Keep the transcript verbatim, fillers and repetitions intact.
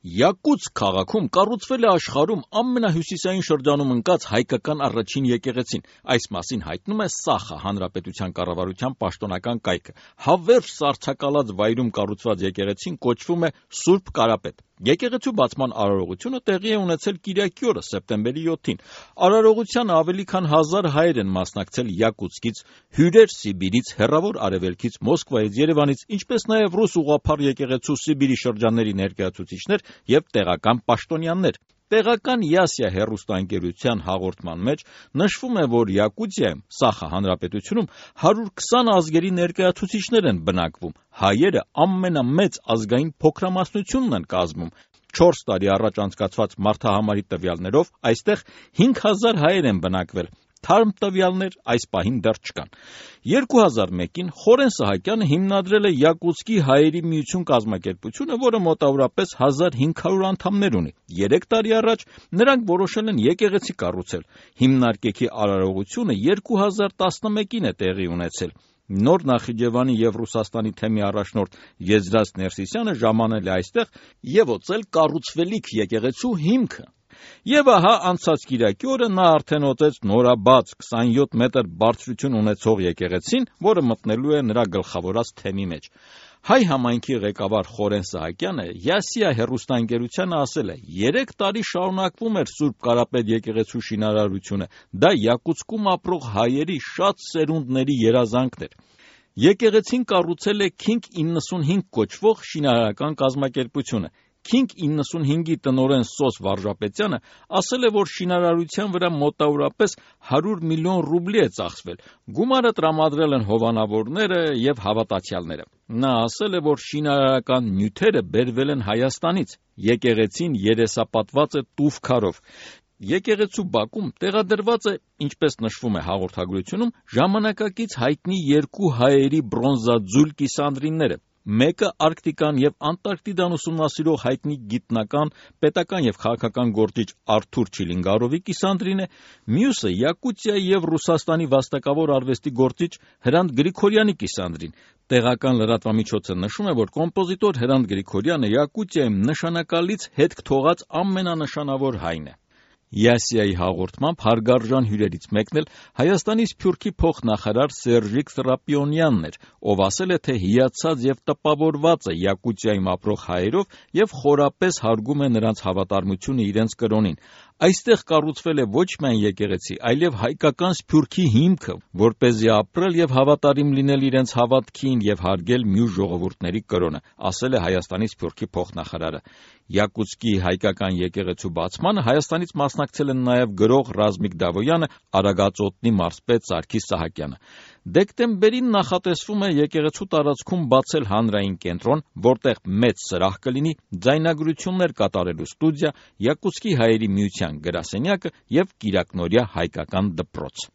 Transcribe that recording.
Յակուտսկ քաղաքում կառուցվել է աշխարհում ամենահյուսիսային շրջանում ընկած հայկական առաջին եկեղեցին։ Այս մասին հայտնում է Սախա հանրապետության կառավարության պաշտոնական կայքը։ Հավերժ սառցակալած վայրում կառուցված եկեղեցին կոչվում է Սուրբ Կարապետ։ Եկեղեցու բացման արարողությունը տեղի է ունեցել կիրակի օրը, սեպտեմբերի յոթին։ Արարողությանը ավելի քան հազար հայեր են մասնակցել Յակուտսկից, հյուրեր Սիբիրից, հեռավոր արևելքից, Մոսկվայից, Երևանից, ինչպես նաև ռուս ուղղափառ եկեղեցու Սիբիրի շրջանների ներկայացուցիչներ եւ տեղական պաշտոնյաներ։ Տեղական Յասիա հեռուստաընկերության հաղորդման մեջ նշվում է, որ Յակուտիայում, Սախա հանրապետությունում հարյուր քսան ազգերի ներկայացուցիչներ են բնակվում։ Հայերը ամենամեծ ազգային փոքրամասնությունն են կազմում։ Չորս տարի առաջ անցկացված մարդահամարի տվյալներով այստեղ հինգ հազար հայեր են բնակվել։ Թարմ տվյալներ այս պահին դեռ չկան։ երկու հազար մեկին Խորեն Սահակյանը հիմնադրել է Յակուտսկի հայերի միություն կազմակերպությունը, որը մոտավորապես հազար հինգ հարյուր անդամներ ունի։ Երեք տարի առաջ նրանք որոշել են եկեղեցի կառուցել։ Հիմնարկեքի արարողությունը երկու հազար տասնմեկին է տեղի ունեցել։ Նոր Նախիջևանի եւ Ռուսաստանի թեմի առաջնորդ Եզրաս Ներսիսյանը ժամանել է այստեղ եւ օծել կառուցվելիք եկեղեցու հիմքը։ Եվ ահա անցած կիրակի օրը նա արդեն օծեց նորաբաց քսանյոթ մետր բարձրություն ունեցող եկեղեցին, որը մտնելու է նրա գլխավորած թեմի մեջ։ Հայ համայնքի ղեկավար Խորեն Սահակյանը Յասիա հեռուստաընկերությանը ասել է. երեք տարի շարունակվում էր Սուրբ Կարապետ եկեղեցու շինարարությունը։ Դա Յակուտսկում ապրող հայերի շատ սերունդների երազանքն էր։ Եկեղեցին կառուցել է Քինգ իննսունհինգ կոչվող շինարարական կազմակերպությունը։ Քինգ իննսունհինգի տնօրեն Սոս Վարժապետյանը ասել է, որ շինարարության վրա մոտավորապես հարյուր միլիոն ռուբլի է ծախսվել։ Գումարը տրամադրել են հովանավորները եւ հավատացյալները։ Նա ասել է, որ շինարարական նյութերը բերվել են Հայաստանից։ Եկեղեցին երեսապատված է տուֆ քարով։ Եկեղեցու բակում տեղադրված է, ինչպես նշվում է հաղորդագրությունում, ժամանակակից հայտնի երկու հայերի բրոնզաձուլ կիսանդրինները։ Մեկը Արկտիկան եւ Անտարկտիդան ուսումնասիրող հայտնի գիտնական, պետական եւ քաղաքական գործիչ Արթուր Չիլինգարովի կիսանդրին է, մյուսը Յակուտիայի եւ Ռուսաստանի վաստակավոր արվեստի գործիչ Հրանտ Գրիգորյանի կիսանդրին։ Տեղական լրատվամիջոցը նշում է, որ կոմպոզիտոր Հրանտ Գրիգորյանը Յակուտիայում նշանակալից հետք թողած ամենանշանավոր հայն է։ Յասիայի հաղորդմամբ հարգարժան հյուրերից մեկն էլ Հայաստանի Սփյուռքի փոխնախարար Սերժիկ Սրապիոնյանն էր, ով ասել է, թե հիացած եւ տպավորված է Յակուտիայում ապրող հայերով եւ խորապես հարգում է նրանց հավատարմությունը իրենց կրոնին։ Այստեղ կառուցվել է ոչ միայն եկեղեցի, այլև հայկական Սփյուռքի հիմքը, որպեսզի ապրել եւ հավատարիմ լինել իրենց հավատքին եւ հարգել մյուս ժողովուրդների կրոնը, ասել է Հայաստանի Սփյուռքի փոխնախարարը։ Յակուտսկի հայկական եկեղեցու բացմանը Հայաստանից մասնակցել են նաև գրող Ռազմիկ Դավոյանը, Արագածոտնի մարզպետ Սարգիս Սահակյանը։ Դեկտեմբերին նախատեսվում է եկեղեցու տարածքում բացել հանրային կենտրոն, որտեղ մեծ սրահ կլինի, ձայնագրություններ կատարելու ստուդիա, Յակուտսկի հայերի միության գրասենյակը եւ կիրակնօրյա հայկական դպրոց։